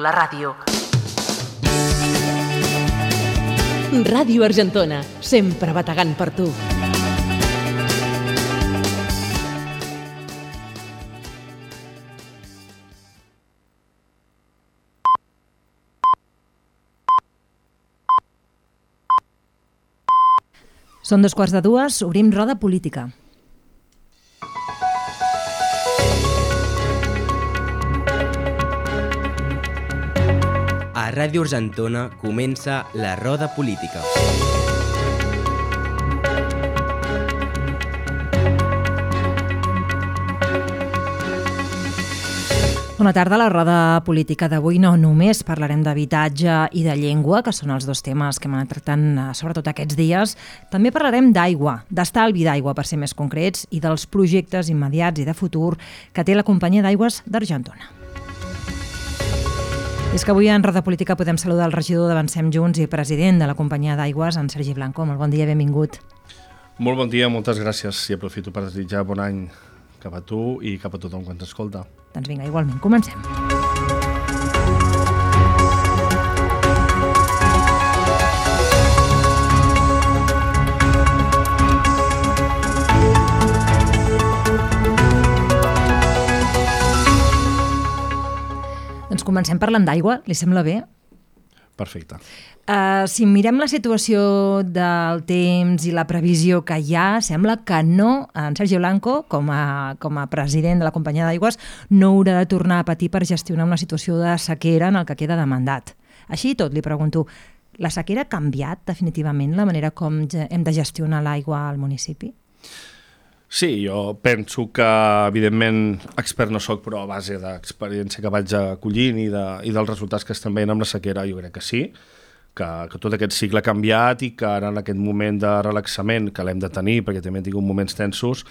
la ràdio. Ràdio Argentona, sempre bategant per tu. Són 2:15, obrim roda política. A Ràdio Argentona comença la roda política. Bona tarda. A la roda política d'avui no només parlarem d'habitatge i de llengua, que són els dos temes que hem anat tractant sobretot aquests dies. També parlarem d'aigua, d'estalvi d'aigua per ser més concrets, i dels projectes immediats i de futur que té la companyia d'aigües d'Argentona. És que avui en Roda Política podem saludar el regidor d'Avancem Junts i president de la companyia d'aigües, en Sergi Blanco. Molt bon dia, benvingut. Molt bon dia, moltes gràcies, i aprofito per desitjar bon any cap a tu i cap a tothom que ens escolta. Doncs vinga, igualment, comencem. Doncs comencem parlant d'aigua, li sembla bé? Perfecte. Si mirem la situació del temps i la previsió que hi ha, sembla que no, en Sergi Blanco, com a president de la companyia d'aigües, no haurà de tornar a patir per gestionar una situació de sequera en el que queda de mandat. Així i tot, li pregunto, la sequera ha canviat definitivament la manera com hem de gestionar l'aigua al municipi? Sí, jo penso que, evidentment, expert no soc, però a base d'experiència que vaig acollint i dels resultats que estem veient amb la sequera, jo crec que sí, que tot aquest cicle ha canviat i que ara en aquest moment de relaxament que l'hem de tenir, perquè també hem tingut moments tensos,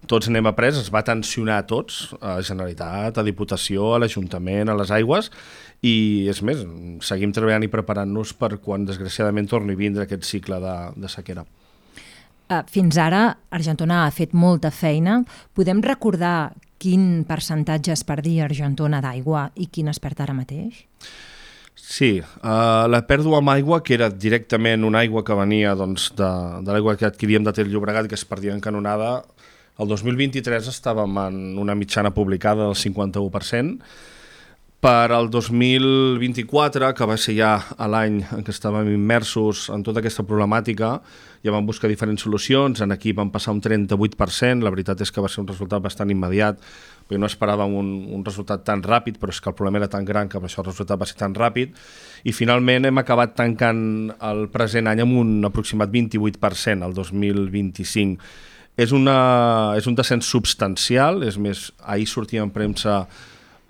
tots n'hem après, es va tensionar a tots, a la Generalitat, a Diputació, a l'Ajuntament, a les aigües, i és més, seguim treballant i preparant-nos per quan desgraciadament torni a vindre aquest cicle de sequera. Fins ara, Argentona ha fet molta feina. Podem recordar quin percentatge es perdia a Argentona d'aigua i quin es perd ara mateix? Sí, la pèrdua amb aigua, que era directament una aigua que venia de l'aigua que adquiríem de Ter Llobregat, que es perdia en canonada, el 2023 estàvem en una mitjana publicada del 51%, per al 2024, que va ser ja l'any en què estàvem immersos en tota aquesta problemàtica, ja vam buscar diferents solucions, en aquí vam passar un 38%, la veritat és que va ser un resultat bastant immediat, perquè no esperàvem un resultat tan ràpid, però és que el problema era tan gran que per això el resultat va ser tan ràpid, i finalment hem acabat tancant el present any amb un aproximat 28%, el 2025. És un descens substancial, és més, ahir sortia en premsa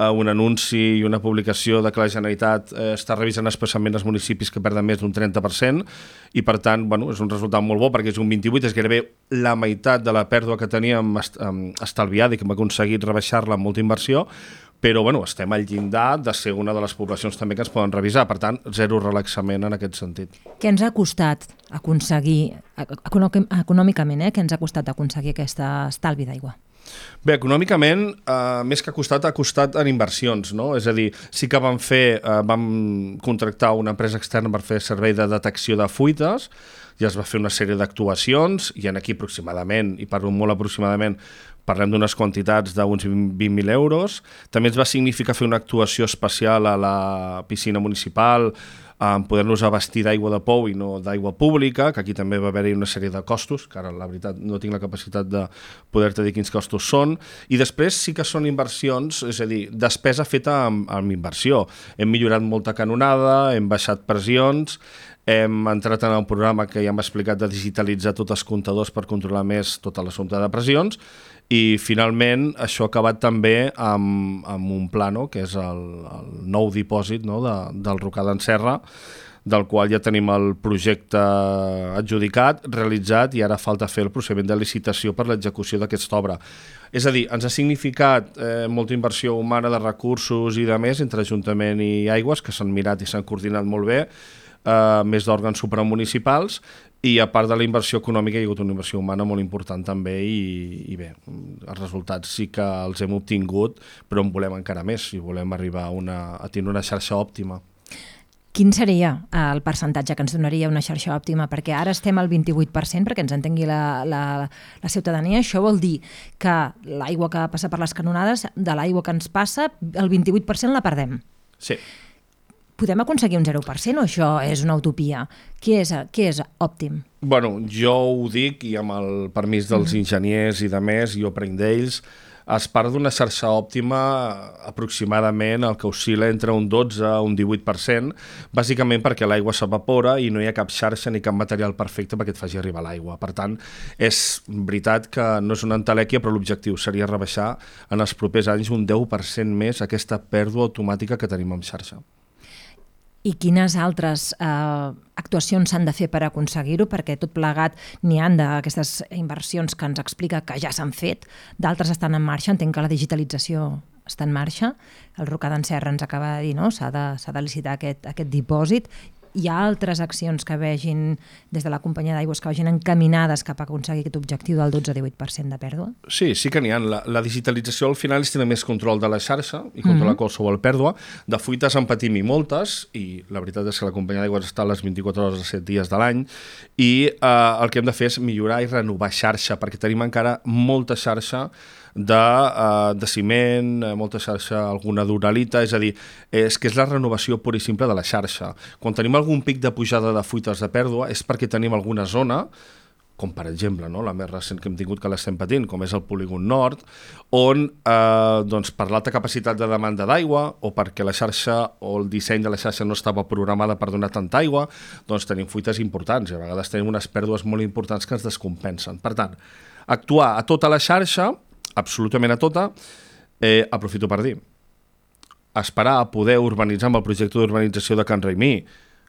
un anunci i una publicació de que la Generalitat està revisant especialment els municipis que perden més d'un 30%, i per tant és un resultat molt bo perquè és un 28%, és gairebé la meitat de la pèrdua que teníem estalviada i que hem aconseguit rebaixar-la amb molta inversió, però estem al llindar de ser una de les poblacions també que ens poden revisar, per tant, zero relaxament en aquest sentit. Què ens ha costat aconseguir, econòmicament, què ens ha costat aconseguir aquest estalvi d'aigua? Bé, econòmicament, més que ha costat en inversions, no? És a dir, sí que vam contractar una empresa externa per fer servei de detecció de fuites, ja es va fer una sèrie d'actuacions, i en aquí aproximadament, i parlo molt aproximadament, parlem d'unes quantitats d'uns 20.000 euros. També ens va significar fer una actuació especial a la piscina municipal, poder-nos abastir d'aigua de pou i no d'aigua pública, que aquí també va haver-hi una sèrie de costos, que ara la veritat no tinc la capacitat de poder-te dir quins costos són, i després sí que són inversions, és a dir, despesa feta amb inversió. Hem millorat molta canonada, hem baixat pressions, hem entrat en un programa que ja hem explicat de digitalitzar tots els comptadors per controlar més tota l'assumpte de pressions, i finalment això ha acabat també amb un plano, que és el nou dipòsit del Rocar d'en Serra, del qual ja tenim el projecte adjudicat, realitzat, i ara falta fer el procediment de licitació per l'execució d'aquesta obra. És a dir, ens ha significat molta inversió humana de recursos i de més entre Ajuntament i Aigües, que s'han mirat i s'han coordinat molt bé. més d'òrgans supramunicipals, i a part de la inversió econòmica hi ha hagut una inversió humana molt important també i bé, els resultats sí que els hem obtingut, però en volem encara més i volem arribar a tenir una xarxa òptima. Quin seria el percentatge que ens donaria una xarxa òptima? Perquè ara estem al 28%, perquè ens entengui la ciutadania. Això vol dir que l'aigua que passa per les canonades, de l'aigua que ens passa, el 28% la perdem. Sí. Podem aconseguir un 0% o això és una utopia? Què és òptim? Bueno, jo ho dic i amb el permís dels enginyers i de més, jo prenc d'ells, es parla d'una xarxa òptima aproximadament el que oscil·la entre un 12 a un 18%, bàsicament perquè l'aigua s'evapora i no hi ha cap xarxa ni cap material perfecte perquè et faci arribar l'aigua. Per tant, és veritat que no és una entelèquia, però l'objectiu seria rebaixar en els propers anys un 10% més aquesta pèrdua automàtica que tenim en xarxa. I quines altres actuacions s'han de fer per aconseguir-ho? Perquè tot plegat n'hi ha d'aquestes inversions que ens explica que ja s'han fet, d'altres estan en marxa, entenc que la digitalització està en marxa, el Rocar d'en Serra ens acaba de dir, no? S'ha de licitar aquest dipòsit. Hi ha altres accions que vegin des de la companyia d'aigües que vagin encaminades cap a aconseguir aquest objectiu del 12-18% de pèrdua? Sí que n'hi ha. La digitalització al final és tenir més control de la xarxa i controlar qualsevol pèrdua. De fuites en patim i moltes, i la veritat és que la companyia d'aigües està a les 24 hores de 7 dies de l'any, i el que hem de fer és millorar i renovar xarxa, perquè tenim encara molta xarxa de ciment, molta xarxa, alguna d'uralita, és a dir, és que és la renovació pura i simple de la xarxa. Quan tenim algun pic de pujada de fuites de pèrdua és perquè tenim alguna zona, com per exemple, no? La més recent que hem tingut que l'estem patint, com és el polígon nord, on per l'alta capacitat de demanda d'aigua o perquè la xarxa o el disseny de la xarxa no estava programada per donar tanta aigua, doncs tenim fuites importants i a vegades tenim unes pèrdues molt importants que ens descompensen. Per tant, actuar a tota la xarxa, absolutament a tota, aprofito per dir, esperar a poder urbanitzar amb el projecte d'urbanització de Can Raimí,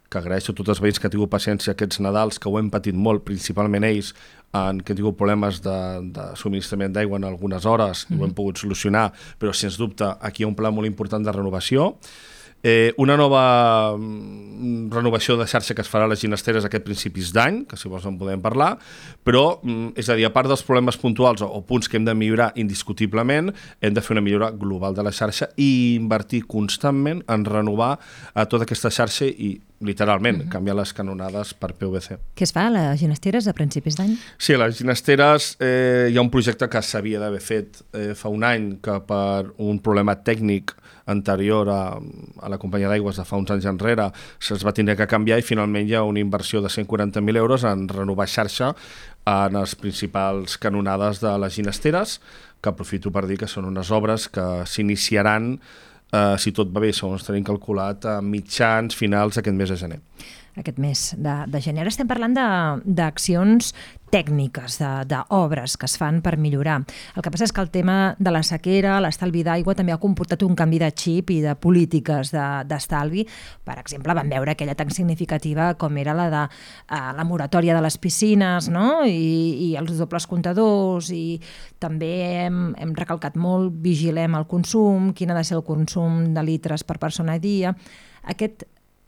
que agraeixo a tots els veïns que han tingut paciència aquests Nadals, que ho hem patit molt, principalment ells, que han tingut problemes de subministrament d'aigua en algunes hores, i ho hem pogut solucionar, però sens dubte aquí hi ha un pla molt important de renovació. Una nova renovació de xarxa que es farà a les Ginesteres aquest principis d'any, que si vols en podem parlar, però, és a dir, a part dels problemes puntuals o punts que hem de millorar indiscutiblement, hem de fer una millora global de la xarxa i invertir constantment en renovar tota aquesta xarxa i literalment, canviar les canonades per PVC. Què es fa a les Ginesteres a principis d'any? Sí, a les Ginesteres hi ha un projecte que s'havia d'haver fet fa un any, que per un problema tècnic anterior a la companyia d'aigües de fa uns anys enrere se'ls va tenir que canviar i finalment hi ha una inversió de 140.000 euros en renovar xarxa en les principals canonades de les Ginesteres, que aprofito per dir que són unes obres que s'iniciaran, si tot va bé, segons tenim calculat, a mitjans finals d'aquest mes de gener. Aquest mes de gener. Ara estem parlant d'accions tècniques, d'obres que es fan per millorar. El que passa és que el tema de la sequera, l'estalvi d'aigua, també ha comportat un canvi de xip i de polítiques d'estalvi. Per exemple, vam veure aquella tan significativa com era la de la moratòria de les piscines, no? I els dobles comptadors, i també hem recalcat molt, vigilem el consum, quin ha de ser el consum de litres per persona a dia.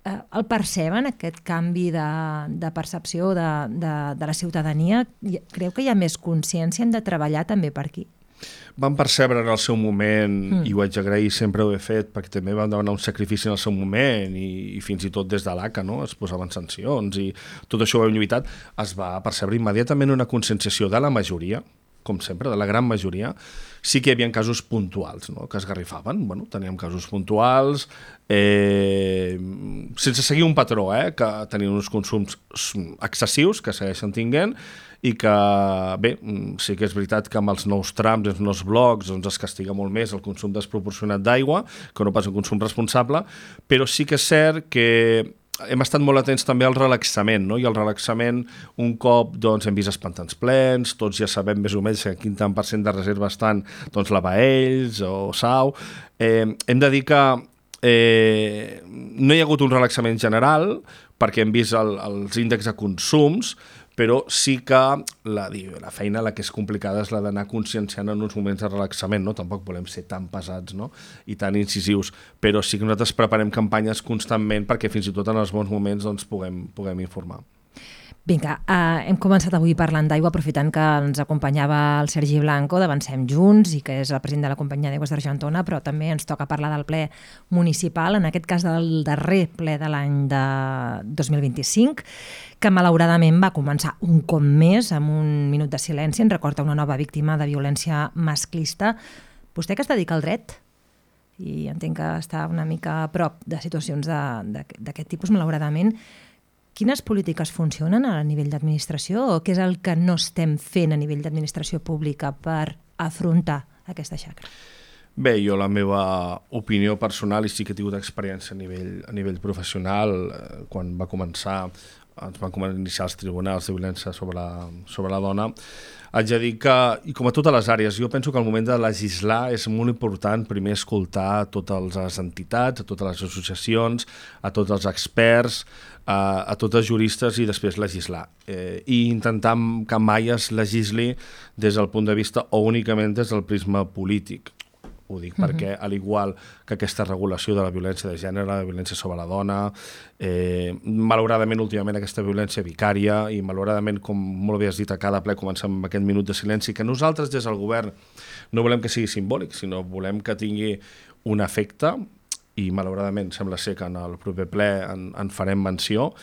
El perceben, aquest canvi de percepció de la ciutadania? Creu que hi ha més consciència? Hem de treballar també per aquí? Vam percebre en el seu moment, i ho haig d'agrair, sempre ho he fet, perquè també vam demanar un sacrifici en el seu moment i fins i tot des de l'ACA, no? Es posaven sancions i tot això ho hem lluitat. Es va percebre immediatament una conscienciació de la majoria, com sempre, de la gran majoria. Sí que hi havia casos puntuals, no?, que es garrifaven. Bueno, teníem casos puntuals, sense seguir un patró, que tenien uns consums excessius, que segueixen tinguent, i que, bé, sí que és veritat que amb els nous trams, els nous blocs, doncs es castiga molt més el consum desproporcionat d'aigua, que no pas el consum responsable, però sí que és cert que hem estat molt atents també al relaxament, no? I el relaxament, un cop hem vist els pantans plens, tots ja sabem més o menys que quin tant % de reserva estan Lavaells o Sau. Hem de dir que no hi ha hagut un relaxament general, perquè hem vist els índexs de consums, però sí que la feina la que és complicada és la d'anar conscienciant en uns moments de relaxament, no? Tampoc volem ser tan pesats, no? I tan incisius, però sí que nosaltres preparem campanyes constantment perquè fins i tot en els bons moments doncs, puguem informar. Vinga, hem començat avui parlant d'aigua, aprofitant que ens acompanyava el Sergi Blanco d'Avancem Junts i que és el president de la Companyia d'Aigües d'Argentona, però també ens toca parlar del ple municipal, en aquest cas del darrer ple de l'any de 2025, que malauradament va començar un cop més amb un minut de silenci en record a una nova víctima de violència masclista. Vostè que es dedica al dret i entenc que està una mica a prop de situacions d'aquest tipus, malauradament, quines polítiques funcionen a nivell d'administració o què és el que no estem fent a nivell d'administració pública per afrontar aquesta xacra? Bé, jo la meva opinió personal, i sí que he tingut experiència a nivell professional, quan ens van iniciar els tribunals de violència sobre la dona, haig de dir que, i com a totes les àrees, jo penso que al moment de legislar és molt important primer escoltar a totes les entitats, a totes les associacions, a tots els experts, a tots els juristes i després legislar. I intentar que mai es legisli des del punt de vista o únicament des del prisma polític. Ho dic perquè, al igual que aquesta regulació de la violència de gènere, la violència sobre la dona, malauradament, últimament, aquesta violència vicària, i malauradament, com molt bé has dit, a cada ple comencem amb aquest minut de silenci, que nosaltres, des del govern, no volem que sigui simbòlic, sinó volem que tingui un efecte, i malauradament sembla ser que en el proper ple en farem menció,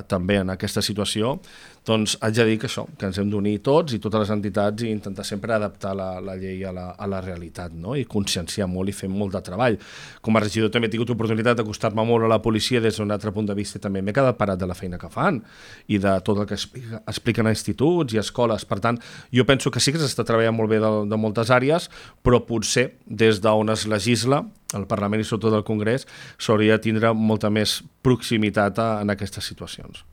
també en aquesta situació, doncs haig de dir que això, que ens hem d'unir tots i totes les entitats i intentar sempre adaptar la llei a la realitat, no? I conscienciar molt i fer molt de treball. Com a regidor també he tingut oportunitat d'acostar-me molt a la policia des d'un altre punt de vista i també m'he quedat parat de la feina que fan i de tot el que expliquen a instituts i a escoles. Per tant, jo penso que sí que s'està treballant molt bé de moltes àrees, però potser des d'on es legisla, el Parlament i sobretot el Congrés, s'hauria de tindre molta més proximitat en aquestes situacions.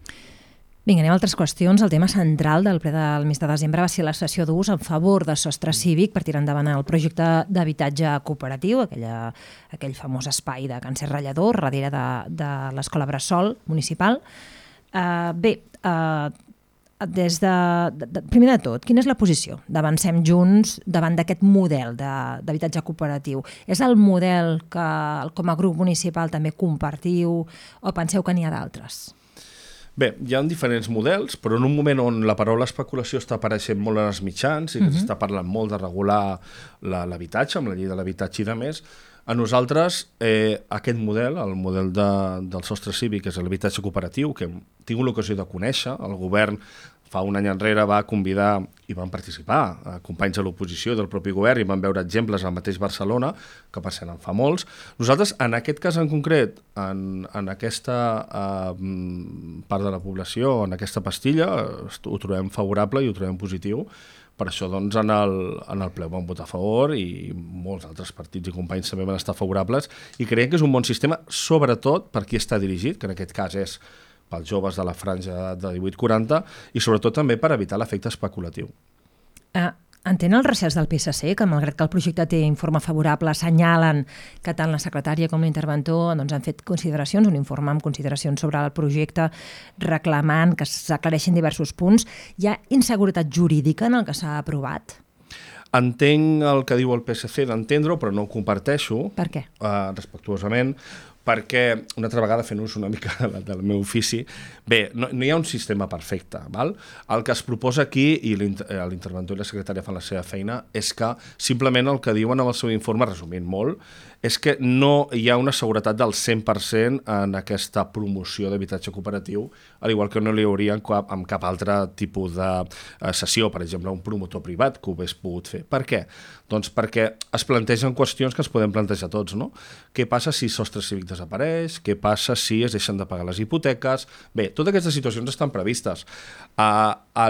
Vinga, anem a altres qüestions. El tema central del ple del mes de desembre va ser la sessió d'ús en favor de Sostre Cívic per tirar endavant el projecte d'habitatge cooperatiu, aquell famós espai de Can Serrallador, darrere de l'Escola Bressol municipal. Primer de tot, quina és la posició d'Avancem Junts davant d'aquest model d'habitatge cooperatiu? És el model que com a grup municipal també compartiu o penseu que n'hi ha d'altres? Bé, hi ha diferents models, però en un moment on la paraula especulació està apareixent molt en els mitjans i que s'està parlant molt de regular l'habitatge, amb la llei de l'habitatge i de més, a nosaltres aquest model, el model del Sostre Cívic, que és l'habitatge cooperatiu, que hem tingut l'ocasió de conèixer, el govern fa un any enrere va convidar i van participar companys de l'oposició del propi govern i van veure exemples al mateix Barcelona, que per cert en fa molts. Nosaltres, en aquest cas en concret, en aquesta part de la població, en aquesta pastilla, ho trobem favorable i ho trobem positiu. Per això, doncs, en el ple van votar a favor i molts altres partits i companys també van estar favorables i creiem que és un bon sistema, sobretot per qui està dirigit, que en aquest cas és pels joves de la franja de 18-40 i sobretot també per evitar l'efecte especulatiu. Entén els recels del PSC, que malgrat que el projecte té informe favorable, assenyalen que tant la secretària com l'interventor han fet consideracions, un informe amb consideracions sobre el projecte, reclamant que s'aclareixin diversos punts. Hi ha inseguretat jurídica en el que s'ha aprovat? Entenc el que diu el PSC d'entendre-ho, però no ho comparteixo. Per què? Respectuosament, perquè, una altra vegada fent ús una mica del meu ofici, bé, no hi ha un sistema perfecte, val? El que es proposa aquí, i l'interventor i la secretària fan la seva feina, és que simplement el que diuen en el seu informe, resumint molt, és que no hi ha una seguretat del 100% en aquesta promoció d'habitatge cooperatiu, al igual que no li hauria amb cap altre tipus de cessió, per exemple, un promotor privat que ho hagués pogut fer. Per què? Doncs perquè es plantegen qüestions que es poden plantejar tots, no? Què passa si Sostre Cívic desapareix? Què passa si es deixen de pagar les hipoteques? Bé, totes aquestes situacions estan previstes.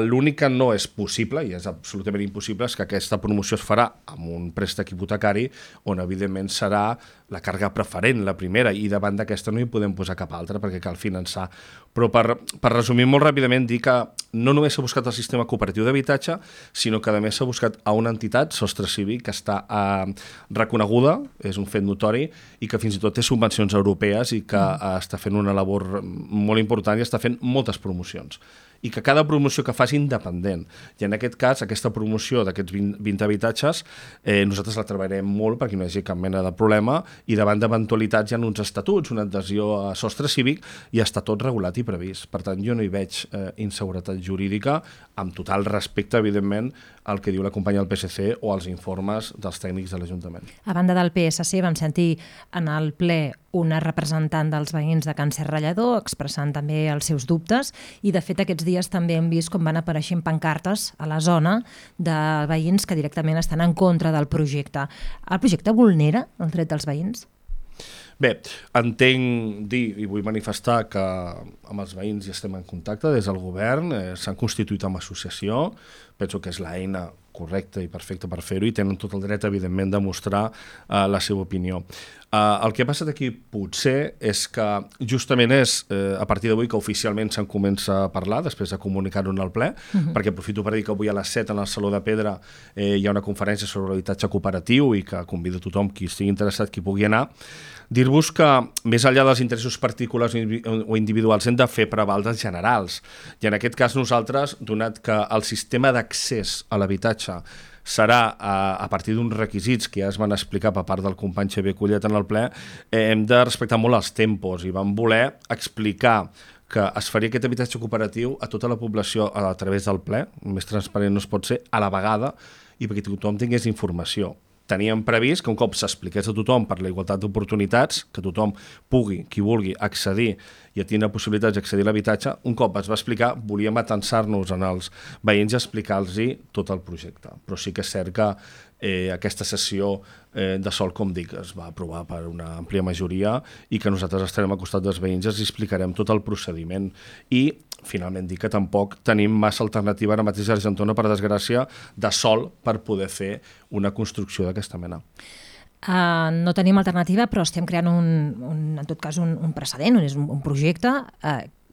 L'únic que no és possible, i és absolutament impossible, és que aquesta promoció es farà amb un préstec hipotecari on, evidentment, serà la càrrega preferent, la primera, i davant d'aquesta no hi podem posar cap altra perquè cal finançar. Però per resumir molt ràpidament, dir que no només s'ha buscat el sistema cooperatiu d'habitatge, sinó que a més s'ha buscat a una entitat, Sostre Cívic, que està reconeguda, és un fet notori, i que fins i tot té subvencions europees i que està fent una labor molt important i està fent moltes promocions. i que cada promoció que faci independent. I en aquest cas, aquesta promoció d'aquests 20 habitatges, nosaltres la treballarem molt perquè no hi hagi cap mena de problema i davant d'eventualitats hi ha uns estatuts, una adhesió a sostre cívic i està tot regulat i previst. Per tant, jo no hi veig inseguretat jurídica, amb total respecte, evidentment, al que diu la companya del PSC o als informes dels tècnics de l'Ajuntament. A banda del PSC vam sentir en el ple una representant dels veïns de Can Serrallador expressant també els seus dubtes i de fet aquests dies també hem vist com van apareixent pancartes a la zona de veïns que directament estan en contra del projecte. El projecte vulnera el dret dels veïns? Bé, entenc dir i vull manifestar que amb els veïns ja estem en contacte des del govern, s'han constituït amb associació, penso que és l'eina correcta i perfecta per fer-ho i tenen tot el dret, evidentment, de mostrar la seva opinió. El que ha passat aquí potser és que justament és a partir d'avui que oficialment se'n comença a parlar, després de comunicar-ho en el ple, perquè aprofito per dir que avui a les 7 en el Saló de Pedra hi ha una conferència sobre l'habitatge cooperatiu i que convido tothom qui estigui interessat, qui pugui anar. Dir-vos que, més enllà dels interessos particulars o individuals, hem de fer preval dels generals. I en aquest cas nosaltres, donat que el sistema d'accés a l'habitatge serà a partir d'uns requisits que ja es van explicar per part del company Xavier Collet en el ple, hem de respectar molt els tempos i vam voler explicar que es faria aquest habitatge cooperatiu a tota la població a través del ple, més transparent no es pot ser, a la vegada, i perquè tothom tingués informació. Teníem previst que un cop s'expliqués a tothom per la igualtat d'oportunitats, que tothom pugui, qui vulgui, accedir i tindre possibilitats d'accedir a l'habitatge, un cop es va explicar, volíem atensar-nos en els veïns i explicar-los tot el projecte. Però sí que és cert que aquesta sessió de sol, com dic, es va aprovar per una àmplia majoria i que nosaltres estarem al costat dels veïns i els explicarem tot el procediment. I, finalment, dic que tampoc tenim massa alternativa ara mateix a Argentona, per desgràcia, de sol per poder fer una construcció d'aquesta mena. No tenim alternativa, però estem creant en tot cas un precedent, és un projecte.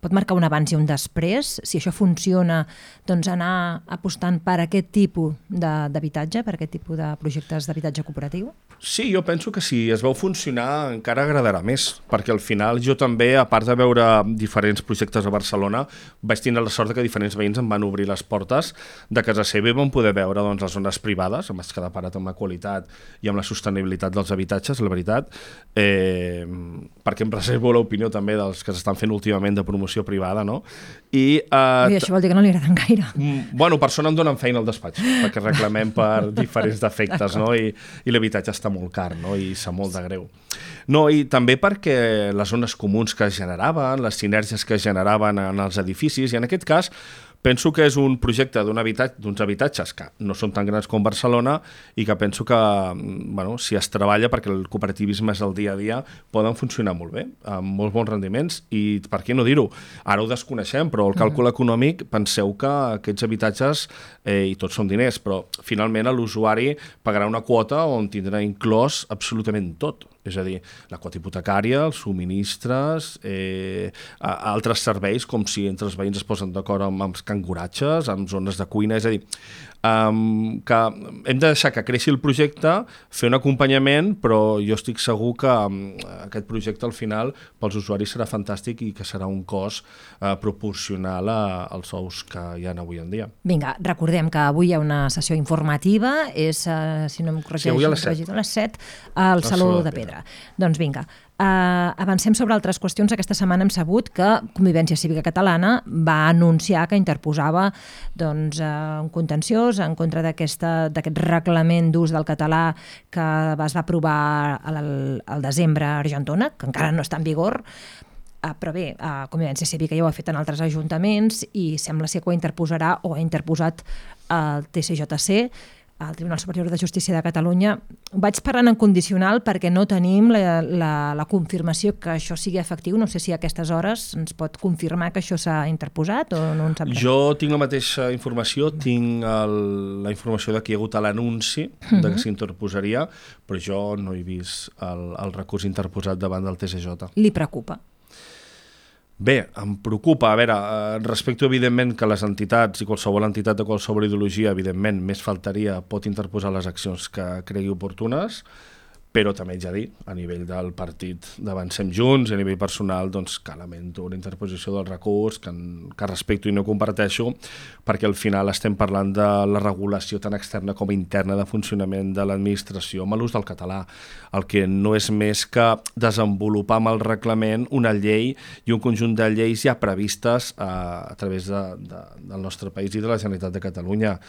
Pot marcar un abans i un després. Si això funciona, doncs anar apostant per aquest tipus d'habitatge, per aquest tipus de projectes d'habitatge cooperatiu? Sí, jo penso que si es veu funcionar encara agradarà més, perquè al final jo també, a part de veure diferents projectes a Barcelona, vaig tenir la sort que diferents veïns em van obrir les portes de casa seva i vam poder veure les zones privades, em vaig quedar parat amb la qualitat i amb la sostenibilitat dels habitatges, la veritat, perquè em reservo l'opinió també dels que s'estan fent últimament de promoció privada, no? I això vol dir que no li agraden gaire. Bueno, per això no em donen feina al despatx, perquè reclamem per diferents defectes, no? I l'habitatge està molt car, no? I sap molt de greu. No, i també perquè les zones comuns que es generaven, les sinergies que es generaven en els edificis, i en aquest cas penso que és un projecte d'uns habitatges que no són tan grans com Barcelona i que penso que, bueno, si es treballa perquè el cooperativisme és el dia a dia, poden funcionar molt bé, amb molts bons rendiments i per què no dir-ho? Ara ho desconeixem, però el càlcul econòmic, penseu que aquests habitatges, i tots són diners, però finalment l'usuari pagarà una quota on tindrà inclòs absolutament tot. És a dir, la quota hipotecària, els subministres, altres serveis, com si entre els veïns es posen d'acord amb els canguratges, amb zones de cuina, és a dir, que hem de deixar que creixi el projecte, fer un acompanyament, però jo estic segur que aquest projecte al final pels usuaris serà fantàstic i que serà un cost proporcional als sous que hi ha avui en dia. Vinga, recordem que avui hi ha una sessió informativa, és, si no em corregeixo, avui a les 7 al Saló de Pedra. Doncs vinga, avancem sobre altres qüestions. Aquesta setmana hem sabut que Convivència Cívica Catalana va anunciar que interposava un contenciós en contra d'aquest reglament d'ús del català que es va aprovar al desembre a Argentona, que encara no està en vigor. Però bé, Convivència Cívica ja ho ha fet en altres ajuntaments i sembla ser que ho interposarà o ha interposat el TCJC, al Tribunal Superior de Justícia de Catalunya. Vaig parlant en condicional perquè no tenim la confirmació que això sigui efectiu. No sé si a aquestes hores ens pot confirmar que això s'ha interposat o no en sap res. Jo tinc la mateixa informació, tinc la informació de que hi ha hagut l'anunci de que s'interposaria, però jo no he vist el recurs interposat davant del TCJ. Li preocupa? Bé, em preocupa. A veure, respecto evidentment que les entitats i qualsevol entitat de qualsevol ideologia, evidentment, més faltaria, pot interposar les accions que cregui oportunes, però també haig de dir, a nivell del partit d'Avancem Junts, a nivell personal, doncs que lamento una interposició del recurs, que respecto i no comparteixo, perquè al final estem parlant de la regulació tant externa com interna de funcionament de l'administració amb l'ús del català, el que no és més que desenvolupar amb el reglament una llei i un conjunt de lleis ja previstes a través del nostre país i de la Generalitat de Catalunya.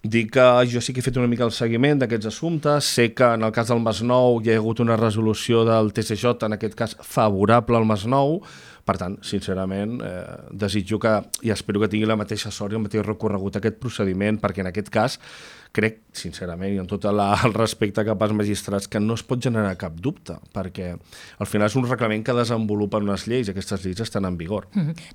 Dic que jo sí que he fet una mica el seguiment d'aquests assumptes, sé que en el cas del Masnou hi ha hagut una resolució del TSJ, en aquest cas favorable al Masnou, per tant, sincerament, desitjo que, i espero que tingui la mateixa sort i el mateix recorregut aquest procediment, perquè en aquest cas crec, sincerament, i amb tot el respecte cap als magistrats, que no es pot generar cap dubte, perquè al final és un reglament que desenvolupen unes lleis, i aquestes lleis estan en vigor.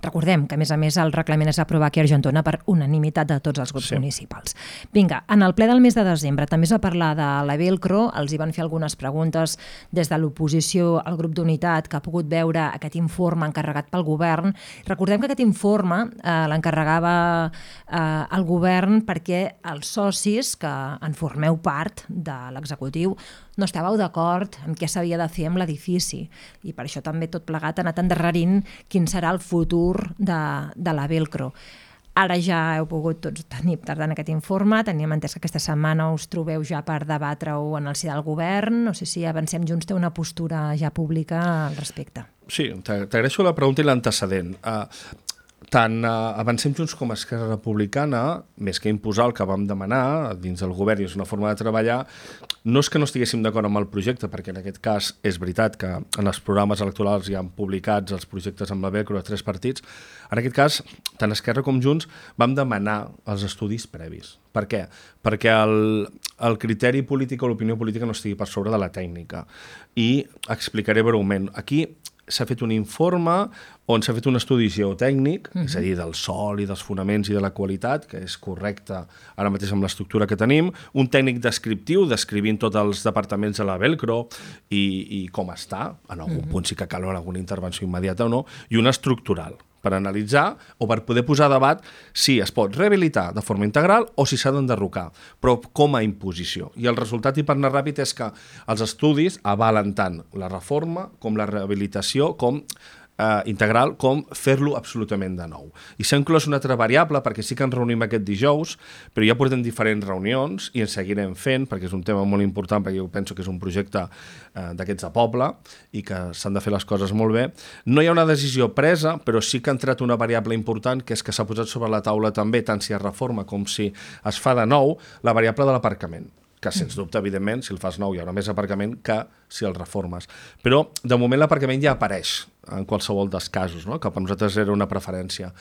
Recordem que, a més, el reglament es va aprovar aquí a Argentona per unanimitat de tots els grups municipals. Vinga, en el ple del mes de desembre també es va parlar de la Velcro, els hi van fer algunes preguntes des de l'oposició al grup d'unitat que ha pogut veure aquest informe encarregat pel govern. Recordem que aquest informe l'encarregava el govern perquè els socis que en formeu part de l'executiu no estàveu d'acord amb què s'havia de fer amb l'edifici i per això també tot plegat ha anat endarrerint quin serà el futur de la Velcro. Ara ja heu pogut tots tenir tardant aquest informe, teníem entès que aquesta setmana us trobeu ja per debatre-ho en el si del govern, no sé si Avancem Junts té una postura ja pública al respecte. Sí, t'agraeixo la pregunta i l'antecedent. Tant Avancem Junts com Esquerra Republicana, més que imposar el que vam demanar dins del govern i és una forma de treballar, no és que no estiguéssim d'acord amb el projecte, perquè en aquest cas és veritat que en els programes electorals hi han publicats els projectes amb la Velcro de 3 partits. En aquest cas, tant Esquerra com Junts vam demanar els estudis previs. Per què? Perquè el criteri polític o l'opinió política no estigui per sobre de la tècnica. I explicaré breument. Aquí s'ha fet un informe on s'ha fet un estudi geotècnic, és a dir, del sòl i dels fonaments i de la qualitat, que és correcte ara mateix amb l'estructura que tenim, un tècnic descriptiu, descrivint tots els departaments de la Velcro i com està, en algun punt sí que cal alguna intervenció immediata o no, i un estructural, per analitzar o per poder posar a debat si es pot rehabilitar de forma integral o si s'ha d'enderrocar, però com a imposició. I el resultat, i per anar ràpid, és que els estudis avalen tant la reforma com la rehabilitació, com integral, com fer-lo absolutament de nou. I s'ha inclòs una altra variable, perquè sí que ens reunim aquest dijous, però ja portem diferents reunions i ens seguirem fent, perquè és un tema molt important, perquè jo penso que és un projecte d'aquests de poble i que s'han de fer les coses molt bé. No hi ha una decisió presa, però sí que ha entrat una variable important, que és que s'ha posat sobre la taula també, tant si es reforma com si es fa de nou, la variable de l'aparcament, que sens dubte, evidentment, si el fas nou hi haurà més aparcament que si el reformes. Però, de moment, l'aparcament ja apareix en qualsevol dels casos, no? Que per nosaltres era una preferència.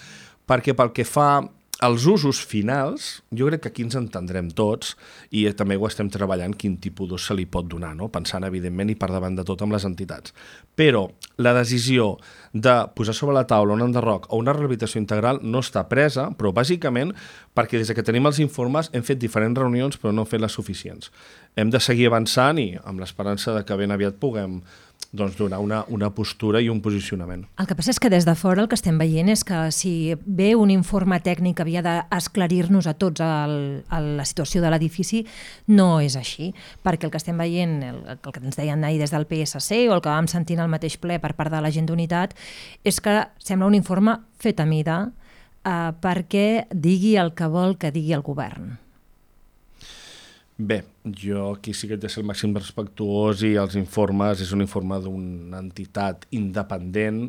Perquè pel que fa als usos finals, jo crec que aquí ens entendrem tots i també ho estem treballant quin tipus d'ús se li pot donar, no? Pensant, evidentment, i per davant de tot amb les entitats. Però la decisió de posar sobre la taula un enderroc o una rehabilitació integral no està presa, però bàsicament perquè des que tenim els informes hem fet diferents reunions però no hem fet les suficients. Hem de seguir avançant i amb l'esperança de que ben aviat puguem donar una postura i un posicionament. El que passa és que des de fora el que estem veient és que si ve un informe tècnic que havia d'esclarir-nos a tots la situació de l'edifici, no és així, perquè el que estem veient, el que ens deien ahir des del PSC o el que vam sentir al mateix ple per part de la gent d'unitat, és que sembla un informe fet a mida perquè digui el que vol que digui el govern. Bé, jo aquí sí que he de ser el màxim respectuós i els informes és un informe d'una entitat independent,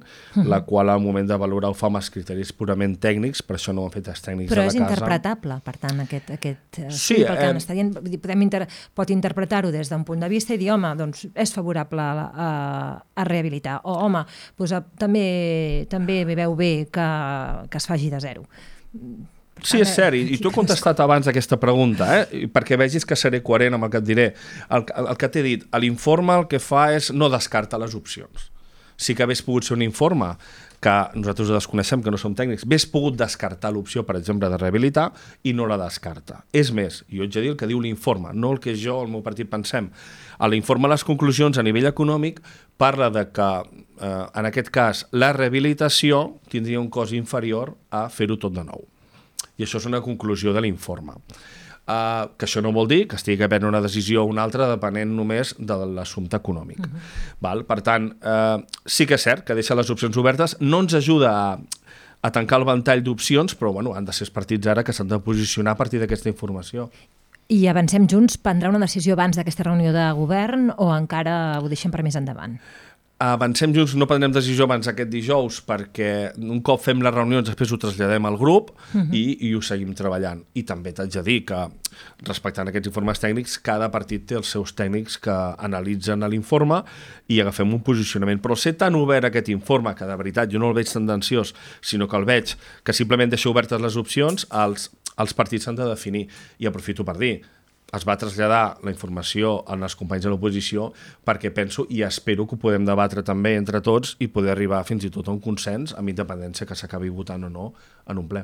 la qual al moment de valorar ho fa amb els criteris purament tècnics, per això no ho han fet els tècnics però de la casa. Però és interpretable, per tant, aquest sí, perquè està dient, pot interpretar-ho des d'un punt de vista i dir, home, doncs és favorable a rehabilitar, o home, doncs, també veu bé que es faci de zero. Sí, és cert, i tu he contestat abans aquesta pregunta, perquè vegis que seré coherent amb el que et diré. El que t'he dit, l'informe el que fa és no descarta les opcions. Sí que hagués pogut ser un informe que nosaltres ho desconeixem, que no som tècnics, hagués pogut descartar l'opció, per exemple, de rehabilitar i no la descarta. És més, jo haig de dir el que diu l'informe, no el que jo, el meu partit, pensem. A l'informe, les conclusions a nivell econòmic parla de que, en aquest cas, la rehabilitació tindria un cost inferior a fer-ho tot de nou. I això és una conclusió de l'informe. que això no vol dir que estigui a prendre una decisió o una altra depenent només de l'assumpte econòmic. Val? Per tant, sí que és cert que deixa les opcions obertes, no ens ajuda a tancar el ventall d'opcions, però bueno, han de ser els partits ara que s'han de posicionar a partir d'aquesta informació. I Avancem Junts prendrà una decisió abans d'aquesta reunió de govern o encara ho deixem per més endavant? Avancem Junts no prendrem decisió abans aquest dijous perquè un cop fem les reunions després ho traslladem al grup i ho seguim treballant. I també t'haig de dir que, respectant aquests informes tècnics, cada partit té els seus tècnics que analitzen l'informe i agafem un posicionament. Però ser tan obert aquest informe, que de veritat jo no el veig tendenciós, sinó que el veig que simplement deixa obertes les opcions, els partits s'han de definir. I aprofito per dir, es va traslladar la informació als companys de l'oposició perquè penso i espero que ho podem debatre també entre tots i poder arribar fins i tot a un consens amb independència que s'acabi votant o no en un ple.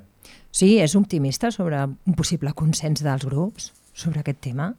Sí, és optimista sobre un possible consens dels grups sobre aquest tema?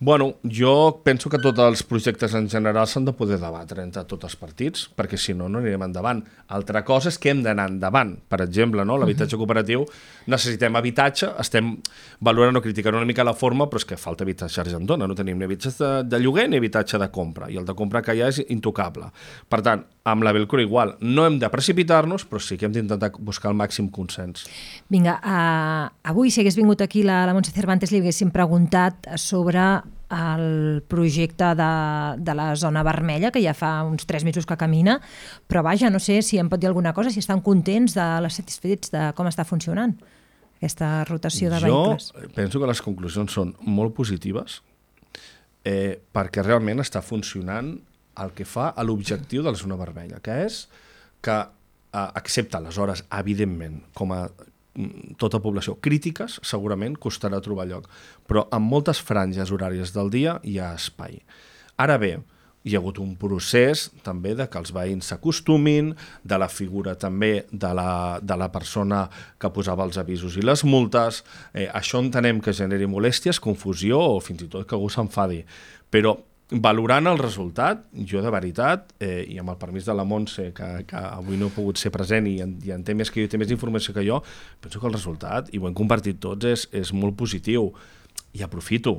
Bueno, jo penso que tots els projectes en general s'han de poder debatre entre tots els partits, perquè si no, no anirem endavant. Altra cosa és que hem d'anar endavant. Per exemple, no? L'habitatge cooperatiu, necessitem habitatge, estem valorant o criticant una mica la forma, però és que falta habitatge a Argentona, no tenim ni habitatge de lloguer ni habitatge de compra, i el de compra que hi ha és intocable. Per tant, amb la Belcor igual, no hem de precipitar-nos, però sí que hem d'intentar buscar el màxim consens. Vinga, avui si hagués vingut aquí la Montse Cervantes li haguéssim preguntat sobre el projecte de la zona vermella, que ja fa uns 3 mesos que camina, però vaja, no sé si em pot dir alguna cosa, si estan contents, satisfets de com està funcionant aquesta rotació de vehicles. Jo penso que les conclusions són molt positives perquè realment està funcionant el que fa a l'objectiu de la zona vermella, que és que, excepte aleshores, evidentment, com a tota població, crítiques segurament costarà trobar lloc, però en moltes franges horàries del dia hi ha espai. Ara bé, hi ha hagut un procés també de que els veïns s'acostumin, de la figura també de la persona que posava els avisos i les multes. Això entenem que generi molèsties, confusió o fins i tot que algú s'enfadi. Però valorant el resultat, jo de veritat, i amb el permís de la Montse, que avui no he pogut ser present i en té més que jo, té més informació que jo, penso que el resultat, i ho hem compartit tots, és molt positiu. I aprofito.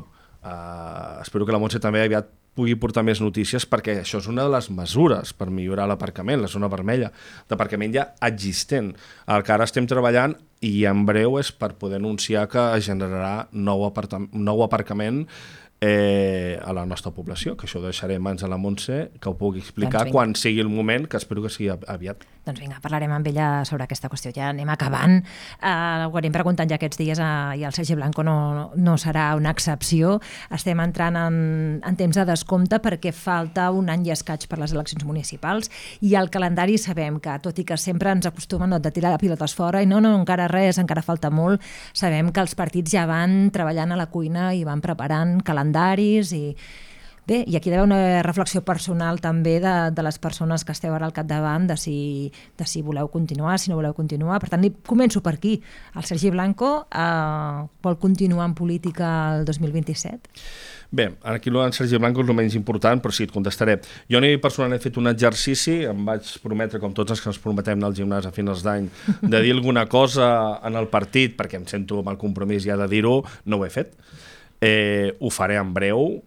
Espero que la Montse també aviat pugui portar més notícies, perquè això és una de les mesures per millorar l'aparcament, la zona vermella d'aparcament ja existent. El que ara estem treballant, i en breu, és per poder anunciar que generarà nou aparcament a la nostra població, que això ho deixaré en mans de la Montse, que ho pugui explicar quan sigui el moment, que espero que sigui aviat. Doncs vinga, parlarem amb ella sobre aquesta qüestió. Ja anem acabant. Ho anem preguntant ja aquests dies i el Sergi Blanco no serà una excepció. Estem entrant en temps de descompte perquè falta un any i escaig per les eleccions municipals i el calendari sabem que, tot i que sempre ens acostumen de tirar pilotes fora i no, encara res, encara falta molt, sabem que els partits ja van treballant a la cuina i van preparant calendaris i... Bé, i aquí hi ha una reflexió personal també de les persones que esteu ara al capdavant de si voleu continuar, si no voleu continuar. Per tant, començo per aquí. El Sergi Blanco vol continuar en política el 2027? Bé, aquí el Sergi Blanco és el menys important, però sí, et contestaré. Jo personalment he fet un exercici, em vaig prometre, com tots els que ens prometem al gimnàs a finals d'any, de dir alguna cosa en el partit, perquè em sento amb el compromís ja de dir-ho, no ho he fet. Ho faré en breu,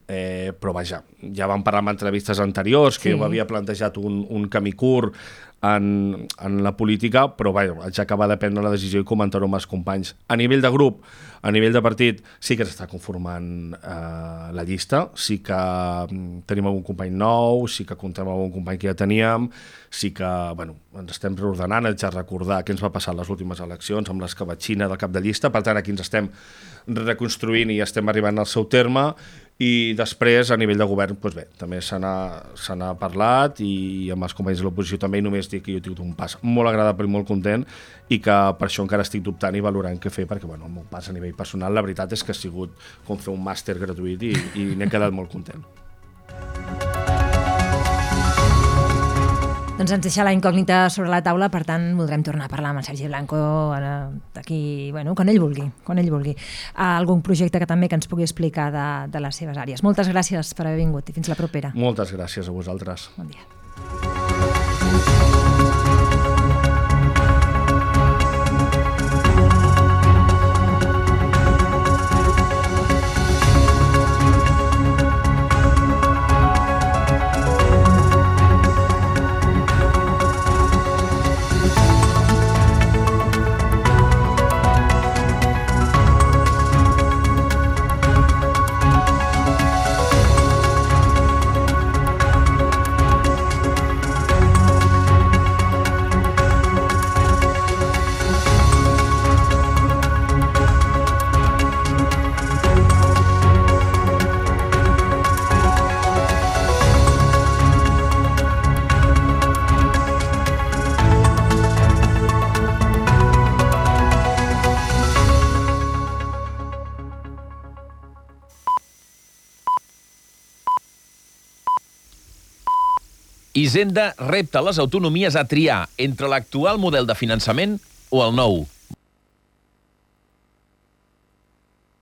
però vaja, ja vam parlar en entrevistes anteriors que jo m'havia plantejat un camí curt en la política, però vaja, haig d'acabar de prendre la decisió i comentar-ho amb els companys. A nivell de grup, a nivell de partit, sí que s'està conformant la llista, sí que tenim algun company nou, sí que comptem amb algun company que ja teníem, sí que ens estem reordenant, haig de recordar què ens va passar a les últimes eleccions amb l'escabatxina del cap de llista, per tant aquí ens estem reconstruint i estem arribant al seu terme. I després, a nivell de govern, doncs bé, també se n'ha parlat i amb els companys de l'oposició també, i només dic que jo he tingut un pas molt agradable i molt content i que per això encara estic dubtant i valorant què fer, perquè el meu pas a nivell personal, la veritat és que ha sigut com fer un màster gratuït i n'he quedat molt content. Doncs ens deixa la incògnita sobre la taula, per tant voldrem tornar a parlar amb el Sergi Blanco d'aquí, quan ell vulgui. Algun projecte que també que ens pugui explicar de les seves àrees. Moltes gràcies per haver vingut i fins la propera. Moltes gràcies a vosaltres. Bon dia. Hisenda repta les autonomies a triar entre l'actual model de finançament o el nou.